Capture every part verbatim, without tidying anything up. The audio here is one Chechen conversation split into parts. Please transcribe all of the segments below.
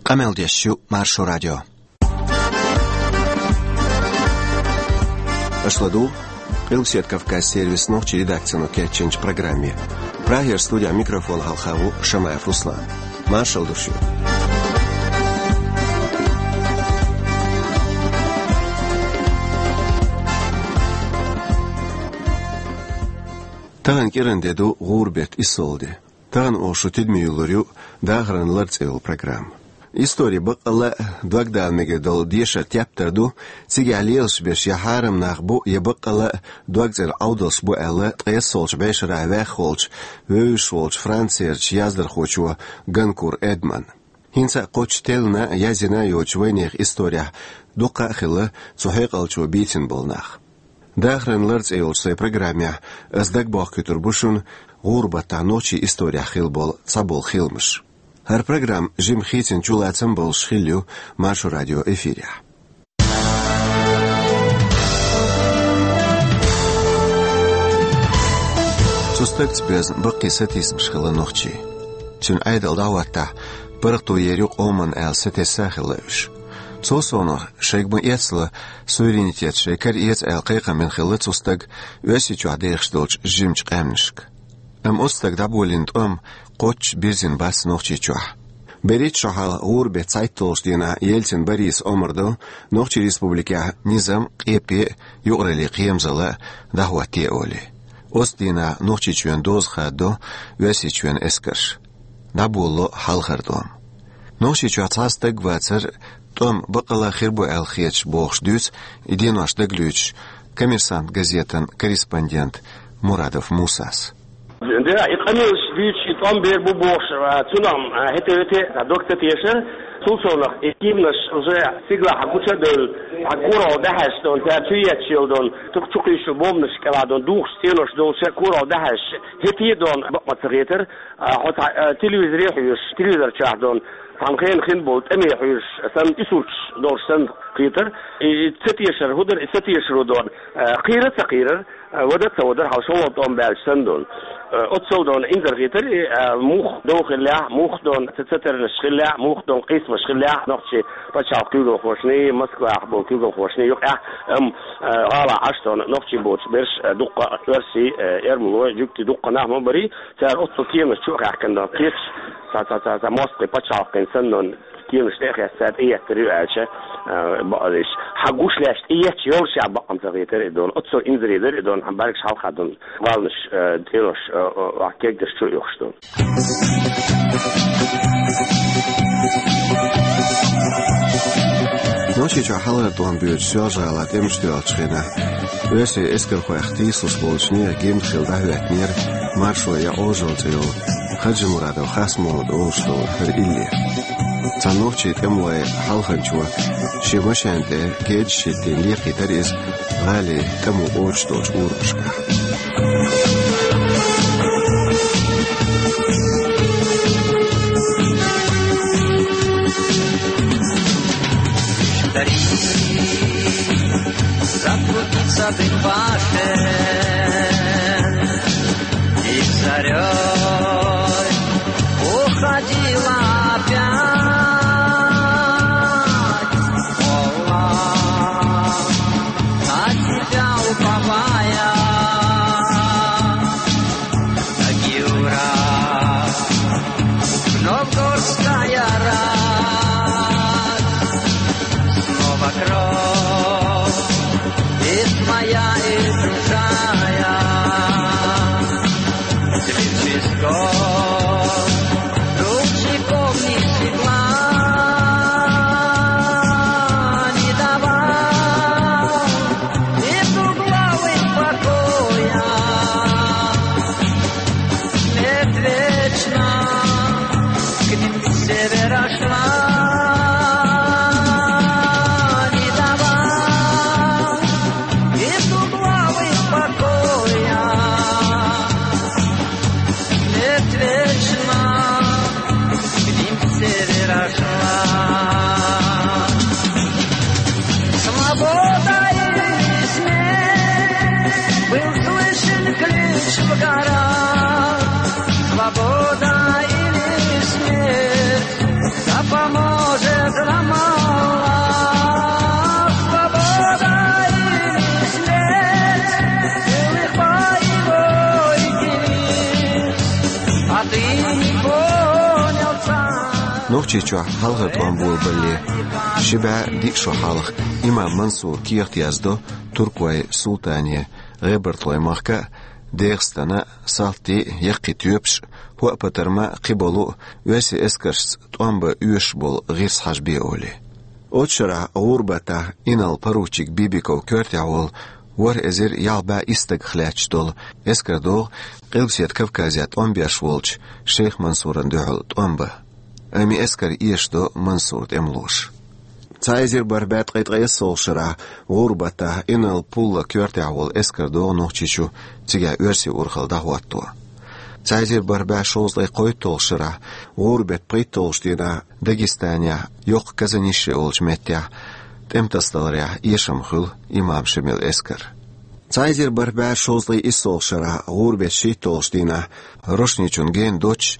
Къамел деш ю Маршо радио. Аша ладугӀу Къилбаседа Кавказ сервисан нохчийн редакцино кечйинчу программе. Прагера студехь микрофон хьалха ву Шамаев Руслан. Маршалла ду шуьга. Тахана кӀиран де ду, гӀуран беттан иссолгӀа де. Тахана оха шун тидаме юллур ю «Дахаран лар» цӀе йолу программа. Истори баккъалла а догдала мегар долу дешар тептар ду, цигахь лелаш берш я хьарам нах бу, я баккъалла а дог цӀера Ӏовдалш бу аьлла, ткъе иссолгӀачу бӀешарахь ваьхна волчу, вевзаш волчу Францерчу яздархочо Ганкур Эдмана. ХӀинца а кхоччуш теллина а, язйина а йоцучу вайнехан исторехь дуккха а хилла цу хьекъалчо бийцина болу нах. «Дахаран лар» цӀе йолчу сайн программехь ас дагабохкуьйтур бу шуна гӀуран баттахь нохчийн исторехь хилла болу цхьаболу хиламаш. ХӀара программа жимма хийцина чулацам болуш хилла ю Маршо радион эфирехь. Цу стагца безна баккхий сатийсамаш хилла нохчийн. Цуьнан Ӏедал дӀахӀоттахь, паргӀато ер ю къоманна аьлла сатесна а хилла уьш. Цул совнаха, шайга ма-эццала, суверенитет шайн кара эца аьлла кхайкхам бина хилла цу стага Оьрсийчохь дехаш долчу жимачу къаьмнашка. Амма оцу стага дӀаболийна тӀом кхоччуш бирзина бац Нохчийчохь. БерхӀитта шо хьалха гӀуран беттан цхьайтталгӀачу дийнахь Ельцин Бориса омра до Нохчийн республикехь низам, къепе а, юкъараллин кхерамзалла а дӀахӀоттае олий. Оцу дийнахь Нохчийчоьнан доза хададо Оьрсийчоьнан эскарша. ДӀаболало хьалхара тӀом. Нохчийчохь цхьа стаг а вацар, тӀом баккъалла а хир бу аьлла хеташ, бохуш дуьйцу и денош дагалоьцуш «Коммерсант» газетан корреспондент Мурадов Мусас. Да, и къамелаш дуьйцуш, и тӀом бер бу бохуш, а, цунах, а, хӀетте-хӀетте а дог ца тешара. Цул совнаха, и кеманаш уже стигалахь гуча а девлла, а, коралла дӀахьаьжча дон, цара чу етташ йолу дон, тух чу кхуьйсуш болу бомбанаш кӀелахь дон, духуш стенош долуш а коралла дӀахьаьжча, хӀетте а дон бакъ ма ца хетара, а, хьо цхьа, а, телевизоре хьоьжуш, телевизор чохь дон, цхьана хенахь хин болу тӀаме хьоьжуш санна, и сурташ долуш санна хетара. И, и ца тешар хӀун дара, и ца тешаро дон, а, кхийра а ца кхийрара, а, вада а ца вадара, хьал шолгӀа тӀом баьлча санна дон. А, оццул дон инзаре хетара, и, а, муха дов хиллехь, муха дон ца, ца тарнаш хиллехь, муха дон къийсамаш хиллехь, нохчийн пачхьалкхан куьйгалхошний, Москвахь болу куьйгалхошний юкъахь, амма, а, гӀалахь Ӏаш дон нохчий боцуш берш, а, дуккха а оьрсий, а, эрмалой, жуьгтий дуккха нах ма барий, цара оццул кеманаш чу а хаьхкина дон, кхеташ, цхьа, цхьа, цхьа, цхьа мостагӀий пачхьалкхана санна дон, кеманаш тӀе а хесна, цара тӀееттар ю аьлча, а, бакъдерг. Хьан гуш лаьцна тӀеетташ йолуш а бакъ ма ца хетара и дон. Оццул инзаре дара и дон, хьан бӀаьргаш хьалха дон, валнаш, а, тӀенош, а, а, а, кегдаш чу а юхуш дон. Нохчийчохь хьалхара тӀом боьдуш Соьлжа-ГӀалахь тӀемаш тоьллачу хенахь, оьрсийн эскархойх тийсалуш болчу нехан гимн хилла дӀахӀоьттинера «Маршо я Ӏожалла» цӀе йолу Хаджимурадов Хасмохьмада олуш долу хӀара иллер. Цхьана нохчийн тӀемалойн хьалханчо шен машен тӀе кедаш хӀиттийна лехийтара иза гӀалин тӀамо кхочуш долчу урамашкахь. Забудется дым башен, и зарёй уходила опять волна, на тебя уповая, на Гюра. Вновь горская рать, снова кровь, и твоя, и Нохчийчохь хьалхара тӀом болабале, ши бӀаь диъ шо хьалха имам Мансура кехат яздо туркойн султане, ГӀебартлойн махка а, ДегӀастана а, салтий а, яккхий тоьпаш а, хӀоъ-патарма а, кхиболу а, оьрсийн эскаршца тӀом бан оьшуш болу гӀирс хьажабе олий. Оцу шарахь ГӀурбатахь инарла-поручик Бибиков коьртехь волу ворхӀ эзар ялх бӀе исс стагах лаьтташ долу эскар догӀу Къилбаседа Кавказехь тӀом беш волчу шейх Мансурна дуьхьал тӀом бан. Амма и эскар эшадо Мансуран тӀемалоша. Цхьа эзар бархӀ бӀе ткъе ткъайоьсналгӀачу шарахь ГӀурбатахь инарла-пулла коьртехь волу эскар догӀу Нохчийчу, цигахь оьрсийн урхалла дӀахӀотто. Цхьа эзар бархӀ бӀе шовзткъе кхойтталгӀачу шарахь ГӀурбатан пхийтталгӀачу дийнахь Дагестанехь, йоккха Казанище олучу меттехь, тӀеман тасадаларехь эшам хуьлу имам Шемалан эскаран. Цхьа эзар бархӀ бӀе шовзткъе иссалгӀачу шарахь ГӀурбатан шийтталгӀачу дийнахь Рошничун гена доццуш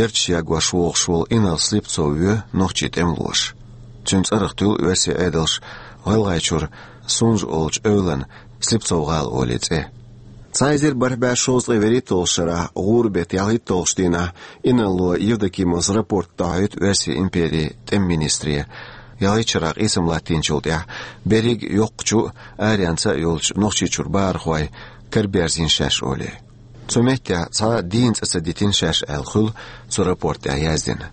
ярташ ягош вогӀуш волу инарла Слепцов воь нохчийн тӀемалоша. Цуьнан цӀарах туьлу оьрсийн Ӏедалша ГӀалгӀайчуьра Сунжа олучу эвлана Слепцов-гӀала олий цӀе. Цхьа эзар бархӀ бӀе шовзткъе вуьрхӀитталгӀачу шарахь ГӀурбатан ялхитталгӀачу дийнахь инарло Евдокимовс рапорт дӀахьоьйту Оьрсийн империн тӀеман министре. ЯлхитталгӀачу шарахь къийсам латтийначул тӀаьхьа берриг а, йоккхачу а, аренца а йолчу Нохчийчуьра бахархой караберзийна шаьш олий. Цу меттехь цхьа а дийна цӀе ца дитина шаьш аьлла хуьлу цу рапорт тӀехь яздина.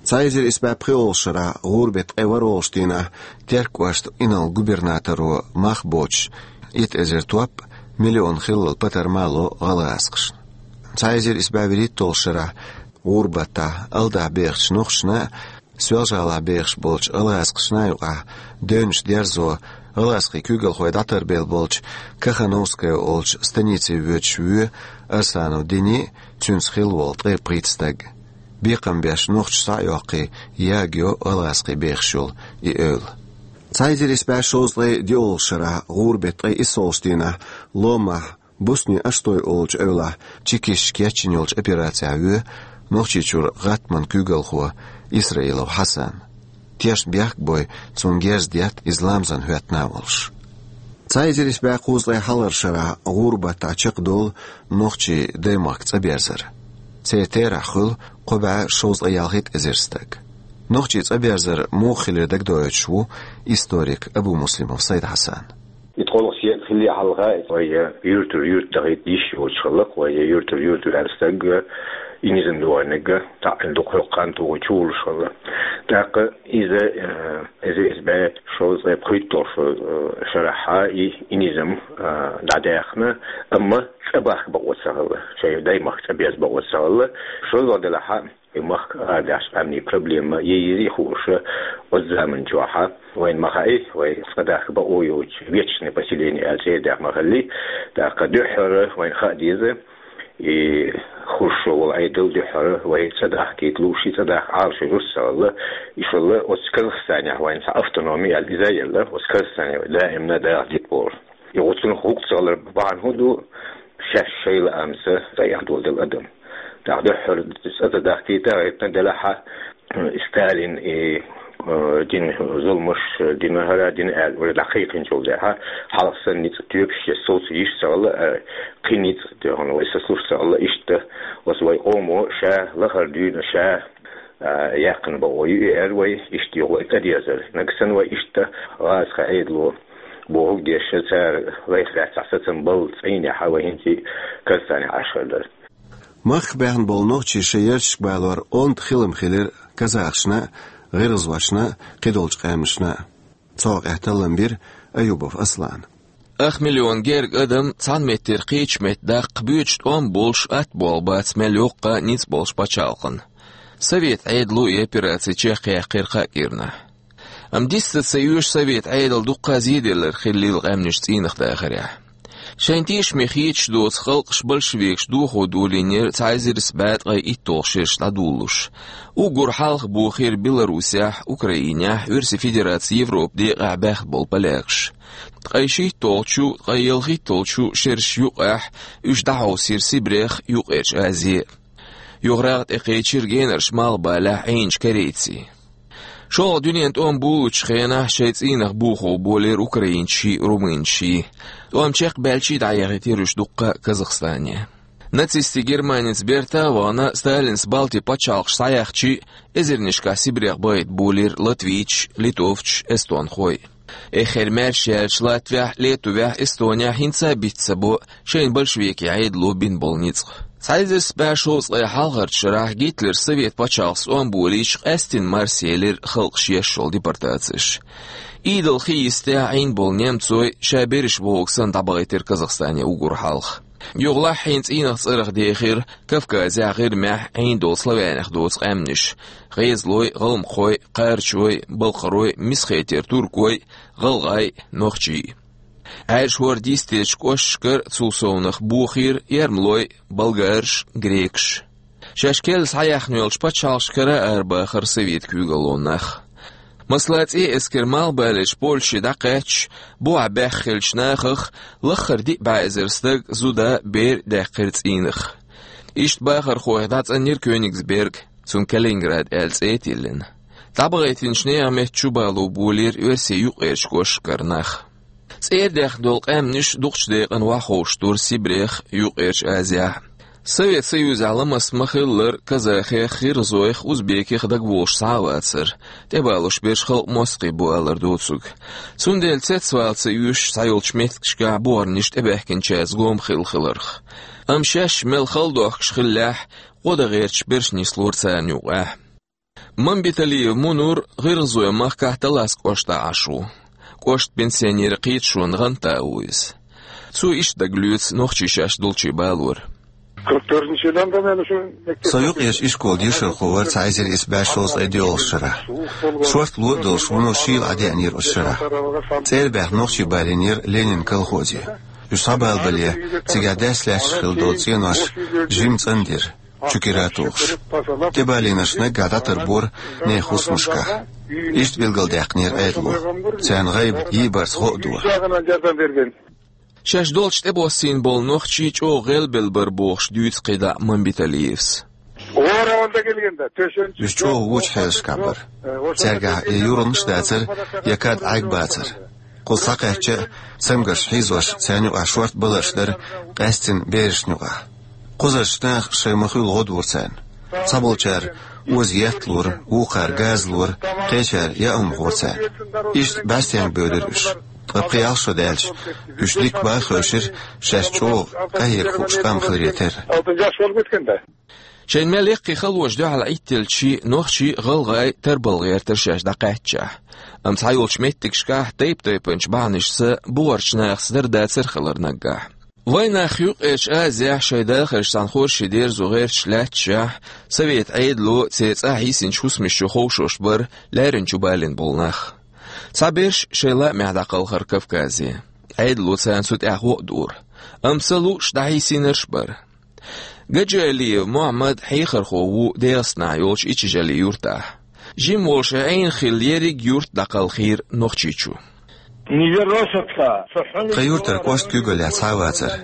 Цхьа эзар исс бӀе пхоьалгӀачу шарахь ГӀурбатан ткъе ворхӀалгӀачу дийнахь Теркан кӀоштан инарла-губернаторо мах боцуш, итт эзар топ а, миллион хиллал патарма а ло гӀалгӀазкхашна. Цхьа эзар исс бӀе вуьрхӀитталгӀачу шарахь ГӀурбатахь, Алдахь бехачу нохчашна а, Соьлжа-ГӀалахь бехаш болчу гӀалгӀазкхашна а юкъахь девнаш дерзо, гӀалгӀазкхийн куьйгалхой дӀатарбелла болчу Кахановская олучу станице воьдуш воь Арсанов Дени а, цуьнца хилла волу ткъе пхийтта стаг. Бекхам беш нохчаш схьа а йоккхий, ягайо гӀалгӀазкхийн бехаш йолу и эвла. Цхьа эзар исс бӀе шовзткъе диъалгӀачу шарахь ГӀурбатан ткъе иссалгӀачу дийнахь Ломахь Бусни Аштой олучу эвлахь чекисташа кечйина йолчу операцехь воь Нохчийчуьра гӀаттаман куьйгалхо Исраилов Хьасан. Тешна бехк а бой, цунна герз детта, иза ламазна хӀоьттина а волуш. Цхьа эзар исс бӀе кхузткъе хьалхарчу шарахь ГӀурбатахь чекхдолу нохчийн даймахка цӀа берзар. Церан терахь хуьлу кхо бӀе шовзткъе ялхийтта эзар стаг. Нохчийн цӀа берзар муха хилира дагадоуьйтуш ву историк Абумуслимов Сайд-Хьасан. И ткъолгӀа сел хиллехь хьалха вай юьртара юьрта дахийта йиш йоцуш хилла, вай юьртара юьрта ваьлла стаг, и низам дохьаниг, таӀийна дукха хьокху хан тухий чу волуш хилла. ТӀаккха иза, э, эзар исс бӀе шовзткъе пхийтталгӀачу, э, шарахь и, и низам, э, дӀадаьхна, амма цӀа бахка бакъо ца хилла, шайн даймахка цӀа беза бакъо ца хилла. ШолгӀа делахь, и махка арадаьхьачу къаьмнийн проблема е йизий хууш, оцу заман чохь вайна ма хаьий, вай цӀа дахка бакъо йоцуш, вечное поселение аьлла цӀе а даьхна ма хиллий, тӀаккха дуьххьара вайна хаа деза, и Хрущёв волу Ӏедал дуьххьара вай цӀа дахкийта лууш, и цӀа дахка Ӏалашо жуьгтаца хилла, и шолла оцу Казахстанехь вайна цхьа автономия аьлла иза а елла, оцу Казахстане вай даимна даха дитта бохуш. И оцунах хӀуъа ца хилар бахьана хӀун ду, шаьш шайн лаамца цӀа эхь доладелла адам. ТӀаккха дуьххьара цӀа ца дахкийта гӀиртина делахь, Сталин и, э, дина зуламаш, дина хӀара, дина аьлла, вай дӀакхайкхинчул тӀаьхьа, хьалха санна ницкъ тоьпаш я совца йиш ца хилла, э, кхин ницкъ тӀехула вай сацалуш ца хилла, иштта оцу вай къомо ша лахара дуьйна ша, а, яьккхина бакъо ю и аьлла вай, иштта юха вай тӀедезар. Нагахь санна вай иштта гӀазкхийн Ӏедало бохург деш, цара лайх лаьцна сацам балла цӀийнехь вай хӀинца Казахстанехь Ӏаш хир дара. Махках баьхна болу нохчий шайн ярташка балор онда хилам хилира казахашна а, гӀиргӀазошна а, кхидолчу къаьмнашна а. Цу хьокъехь таллам бира Аюбов Аслана. Ах миллион герга адам цхьана меттера кхечу метта даккха боьдуш тӀом болуш атта болх бац мел йоккха а, ницкъ болуш пачхьалкхана. Совет Ӏедало и операци чекхъяьккхира кхаа кӀирнахь. Амма дистта ца оьшу Совет Ӏедал дуккха а зеделларг хиллийла къаьмнаш цӀийнах дахарехь. Шайн тешаме хеташ доцу халкъаш большевикаш дохо долийнера цхьа эзар исс бӀе ткъе итталгӀа шераш дӀадолалуш. Уггар хьалха бохийра Беларусехь, Украинехь, Оьрсийн Федерацин Европан декъехь баьхна болу полякаш. Ткъе шийтталгӀачу, ткъе ялхитталгӀачу шераш юкъахь уьш дӀахьовсийра Сибрех, Юккъерчу Азе. Юха рагӀ тӀекхечира генарчу Малхбалехь Ӏийначу корейцийн. ШолгӀа дуьненан тӀом болалучу хенахь шайн цӀийнах бохо болийра украинций, румынций. ТӀом чекхбаьлчий дӀаяхийтийра уьш дуккха а Казахстане. Нацистийн Германица бертахь а вахана, Сталина Балтийн пачхьалкхаш схьаяьхча, эзарнашкахь Сибрех бахийта болийра латвийцаш, литовцаш, эстонхой. Эххар маьрша яьллачу Латвехь, Литвехь, Эстонехь хӀинца а биц ца бо шайна большевикийн Ӏедало бина болу ницкъ. Цхьа эзар исс бӀе шовзткъе хьалхарчу шарахь Гитлера Совет пачхьалкх стом болийча, къаьстина марсаелира халкъаш еш йолу депортацеш. Идалх йистехь Ӏийна болу немцой ша берриш бохург санна дӀабахийтира Казахстане уггар хьалха. Юхалаьхьна цӀийнах цӀарах дехира Кавказехь, ГӀирмехь Ӏийна долу славянех доцу къаьмнаш: гӀезалой, гӀалмакхой, кхарачой, балкхарой, Месхетера туркой, гӀалгӀай, нохчий. Ӏаьржа хӀорда йистечу кӀошташкара цул совнаха бохийра эрмалой, болгараш, грекаш. Шаьш керла схьаяьхна йолчу пачхьалкхашкара арабахара совет куьйгалло нах. Масала, ЦӀен эскаран малхбалерчу Польше дӀакхаьчча, бухахь баьхна хиллачу нахах лаххара диъ бӀе эзар стаг, зуда, бер даьккхира цӀийнах. Иштта бахархойх дӀацӀанйира Кёнигсберг, цунна Калининград аьлла цӀе а тиллина. ДӀабахийтинчу нехан меттан чу бало болийра оьрсийн юккъерчу кӀошташкара нах. ЦӀера даьхна долу къаьмнаш дукхачу декъана охьаховшуш дара Сибрех, Юккъерчу Азехь. Совет Союзехь ламаст ма-хиллара, казахех, гӀиргӀазойх, узбекех дагаволуш схьа а вацара, тӀебалош берш халкъан мостагӀий бу алар доцург. Цундела цецвала ца оьшуш схьайолчу меттигашкахь бухарнаш тӀебаьхкинчаьрца гом хилла хиларх. Амма шаьш мел хала дохкуш хиллехь, гӀо дан гӀерташ берш нислора царна юкъахь. Мамбеталиев Мунур гӀиргӀазойн махкахь Талас кӀоштахь Ӏаш ву. КӀоштан пенсионерийн кхеташонан гӀанта а ву иза. Цо иштта дагалоьцу нохчийн шаьш долчу балор. Со юккъерчу ишколан дешархо вара цхьа эзар исс бӀе шовзткъе доьалгӀачу шарахь. Шортта ло а долуш, вуно шийла Ӏадеанера оцу шарахь. ЦӀера баьхна нохчий балийнера Ленинан колхозе. Уьш схьабалабале, цигахь даьсса лаьтташ хилла долу цӀенош жимма цӀандира, чу кира а тухуш. ТӀебалийнарш наггахь дӀатарбора нехан хӀусамашкахь. Иштта билгалдаьккхинера Ӏедало. Царна гӀайба йийбарца гӀо а до. Шаьш долчу тӀебоссийна болу нохчий чӀогӀа гӀелбелла бара бохуш дуьйцу кхидӀа Мамбеталиевс. Уьш чӀогӀа вочу хьелашкахь бара. Цаьргахь я юргӀанаш дацара, я кад Ӏайг бацара. Кхуза схьакхаьчча а, цамгарш хьийзош, царна юкъахь шортта баларш дара, къаьстина берашна юкъахь. Кхузарчу наха шайн ма-хуьллу гӀо дора царна. Цхьаболчара оза етт лора, вукхара газа лора, кхечара яа хӀума хора царна. Иштта бӀаьстенга бевдира уьш. Ткъа пхи-ялх шо даьлча, уьш дикка бан а хевшира, шаьш чӀогӀа къахьега хууш къам хиларе терра. Шайна мел яккхий халонаш дуьхьал Ӏиттелчий, нохчий, гӀалгӀай тарбала гӀертара шаьш дӀакхаьччахь. Амма цхьайолчу меттигашкахь тайп-тайпанчу бахьанашца бухарчу нахаца дара дацар хилар наггахь. Вайнах Юккъерчу Азехь шайн дахарш цхьана хорши дерзо гӀерташ лаьтташехь, совет Ӏедало церан цӀахь йисинчу хӀусамаш чу ховшош бара лаьррина чу балийна болу нах. Цхьаберш шайн лаамехь дӀакхалхара Кавказе. Ӏедало царна цу тӀехь гӀо а дора. Амма ца лууш дӀахьийсийнарш а бара. Гаджиалиев Мухьаммад хьехархо ву ДегӀастанахь йолчу Ичижали юртахь. Жима волуш Ӏийна хилла ерриг юрт дӀакхалхийра Нохчийчу. Тхан юртара кӀоштан куьйгаллехь цхьа а вацара.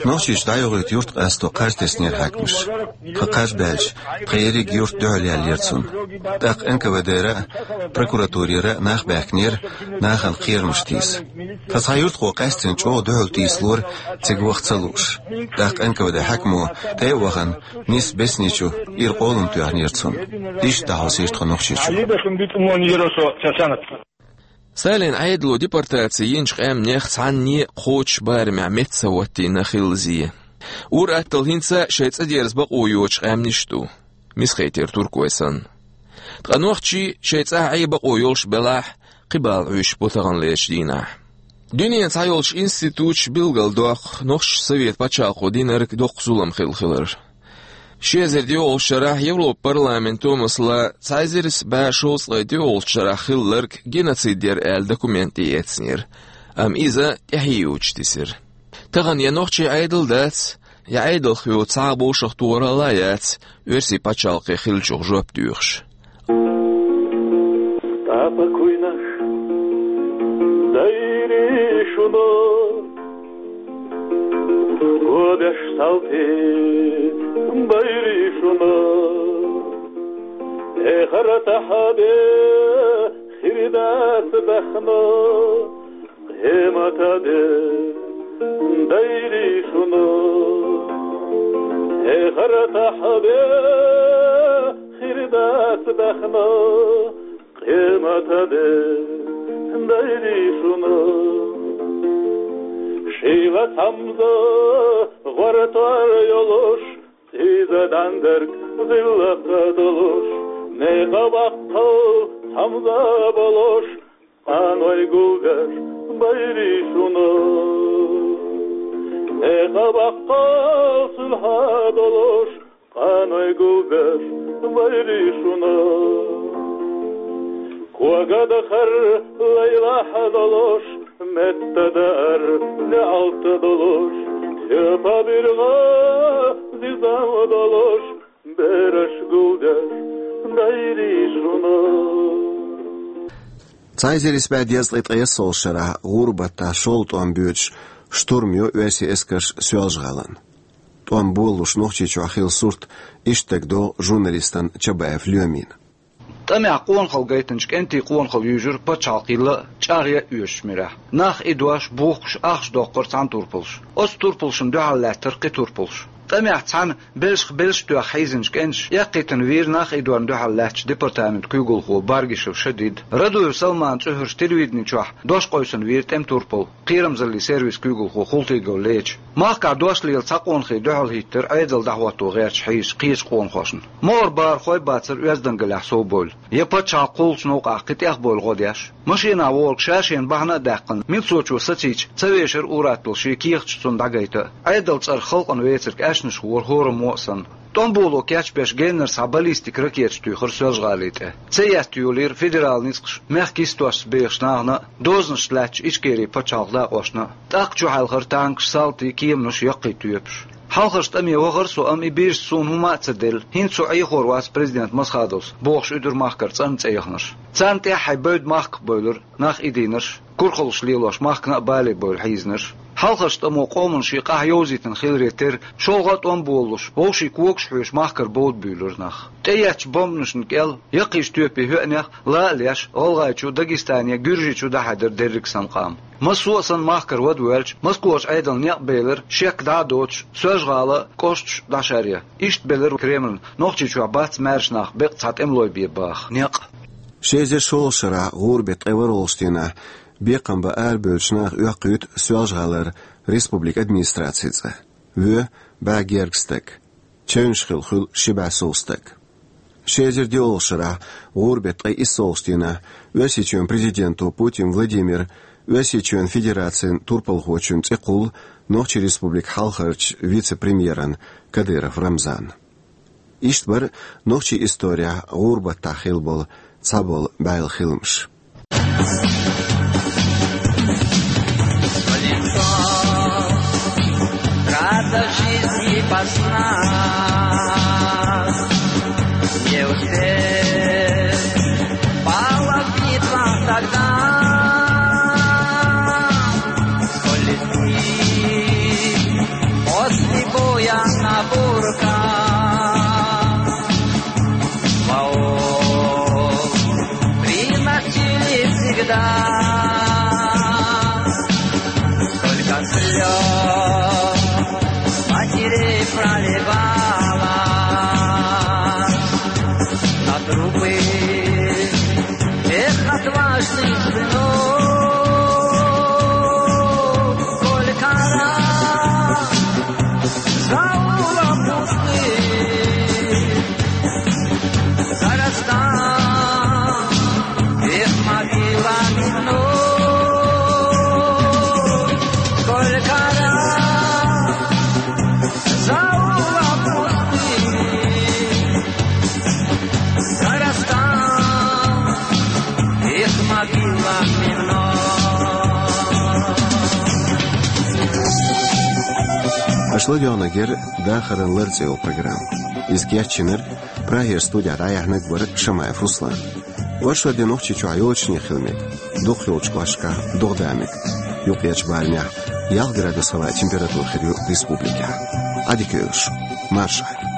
Нохчийчу дӀайохуьйту юрт къасто кхаж теснера хьаькамаша. Тхан кхаж баьлча, тхан ерриг юрт дуьхьал яьллера цунна. ТӀаккха Н К В Д-ра а, прокуратурера а нах баьхкинера, нахана кхерамаш тийса. Тхан цхьа юьртахо къаьстина чӀогӀа дуьхьал тийсалора, цига ваха ца лууш. ТӀаккха Н К В Д хьаькамо тӀе а вахана, нисса бесни чу ира къолам тоьхнера цунна. Иштта дӀахьовсийра тхо Нохчийчу. Сталин Ӏедало депортаци йинчу къаьмнех цхьанне а кхочуш барамехь метта ца хӀоттийна хилла зе. Ур-атталла хӀинца а шайн цӀа дерза бакъо йоцуш къаьмнаш а ду, Месхетера туркой санна. Ткъа нохчий шайн цӀахь Ӏе бакъо йолуш белахь, кхин бала Ӏуьйш бу таханлерчу дийнахь. Дуьненан цхьайолчу институташа билгалдоккху нохчашна Совет пачхьалкхо динарг доккха зулам хилла хилар. Ши эзар диъолгӀачу шарахь Европа парламенто, масала, цхьа эзар исс бӀе шовзткъе диъолгӀачу шарахь хилларг геноцид яра аьлла документ тӀеэцнера, амма иза тӀаьхье йоцуш тесира. Тахана я нохчийн Ӏедал дац, я Ӏедалхоша цхьа а вовшахтохаралла а яц, оьрсийн пачхьалкхе хиллачух жоп доьхуш. Тапа куйнаш дайри шуна, гобеш салти байри шуна, эхара тахаде хирдас дахна, хематаде дайри шуна. Эхартахь бе хир дац баьхна, къематде дайри шуна. Шийла цхьамза гӀортор йолуш, иза дӀандерг гӀиллакх долуш, некъа баккхал цхьамза болуш, къаной гулбеш байри шуна. Некъа баккхал сулхьа долуш, къаной гулбеш байри шуна. Когадахар лайлахь долуш, меттадар леӀалт долуш, тхепа биргӀа зизам долуш, бераш гулдеш дайри шуна. Цхьа эзар исс бӀе дезткъе ткъайоьссолгӀачу шарахь гӀуран баттахь шолгӀа тӀом боьдуш, штурм йо оьрсийн эскарш Соьлжа-ГӀалин. ТӀом болалуш Нохчийчохь хилла сурт иштта дагадогӀу журналистана Чабаев Лоьмина. ТӀамехь къонахалла гайтинчу кӀентийн къонахалла юьйжира пачхьалкх йилла а, чӀагӀъян а оьшучу муьрехь. Нах идош, бухкуш, ахча доккхура цхьана турпалша. Оцу турпалшна дуьхьал лаьттара кхин турпалш. ТӀамехь цхьаьна белшах белш тоьхна хьийзинчу кӀенташа эккхийтина вийра нах идорна дуьхьал лаьттачу департаментан куьйгалхо Баргишев Шадид. Радуев Салмана цӀе хьоьжуш телевидени чохь дош къевсина вийра тӀеман турпал, кхерамзаллин сервисан куьйгалхо Хултыгов Леча. Махкахь дош лела цхьа къонахий дуьхьал хӀиттира Ӏедал дӀахӀотто гӀерташ хьийзачу кхечу къонахошна. МогӀара бахархой а бацара оьздангаллехь совбевлла, я пачхьалкх кхуллучу новкъахь кхин тӀех бевлла гӀо деш. Машинахь волчу ша-шена бахьана а даьккхина, милцочо сацийча, ца вешара ур-атталла шен кехаташ цунна дӀагайта а. Ӏедалан цӀарах халкъана вецарг аьшнаш вора хӀораммо а санна. ТӀом боло кечбеш геннара схьа баллистикан ракеташ туьйхира Соьлжа-ГӀали тӀе. Цеэцна йолийра федералан ницкъаша мехкан йистошца бехачу нахана а, дозанашца лаьттачу Ичкерин пачхьалкхан дакъошна а. ТӀаккха чухьаьлхара танкаш, салтий, кеманаш, яккхий тоьпаш. Хьалхарчу тӀаме вахара со, амма и бийрса суна хӀумма а ца делла, хӀинца со Ӏехор вац президент Масхадовс, бохуш уьдура махкара цӀанна цӀе яханарш. Царна тӀаьххье бевдда махках бевлира нах идийнарш, курхаллаш лелош махкана а бале бевлла хьийзинарш. Хьалхарчу тӀамо къоман шен къахь йовзийтина хиларе терра, шолгӀа а тӀом болалуш, вовшийн когаш хьоьжуш махкара бовда буьйлура нах. ТӀееттачу бомбанашна кӀел, яккхийчу тоьпийн хӀоьъанех ла а леш, ГӀалгӀайчу, Дагестане, Гуьржийчу дӀахьаьдира дерриг санна къам. Массо а санна махкара вада воьлча, Москвачу Ӏедална некъ белира, шек дӀа а доцуш, Соьлжа-ГӀала, кӀошташ дӀашаръян. Иштта белира Кремльна Нохчийчохь бац маьрша нах беккъа цхьа тӀемалой бен баха некъ. Ши эзар шолгӀачу шарахь гӀуран беттан ткъе ворхӀалгӀачу дийнахь бекхам бан арабевллачу наха оьккхуьйту Соьлжа-ГӀалара республикан администрацин цӀа. Воь бӀе гергга стаг. Чевнаш хилла хуьлу ши бӀе сов стаг. Ши эзар диъолгӀачу шарахь гӀуран беттан ткъе иссолгӀачу дийнахь Оьрсийчоьнан президенто Путин Владимира Оьрсийчоьнан Федерацин турпалхочун цӀе кхуллу Нохчийн Республикан хьалхарчу вице-премьерна Кадыров Рамзанна. Иштта бара нохчийн исторехь гӀуран баттахь хилла болу цхьаболу бӀаьлла хиламаш. Колесо, трасса жизни пасна. Не успеть пала в битвах тогда. Сколь летит после боя на бурках. Вооружённых Или всегда столько слёз матерей проливалось на трупы тех отважных сынов. Сколько раз за улов пустых зарастал их могилами вновь. Сколько раз за улов пустых зарастал их могилами вновь. Аша ладоьгӀнарг яра «Дахаран лар» цӀе йолу программа. Иза кечйинарг, Прагера студехь дӀаяьхьнарг вара Шамаев Руслан. Оршот де Нохчийчохь йочане хила мега, дукхахйолчу кӀошташкахь догӀа да мега. Юккъерчу баланехь ялх градус хилла температура хир ю республикехь. Ӏадика йойла шу. Маршалла.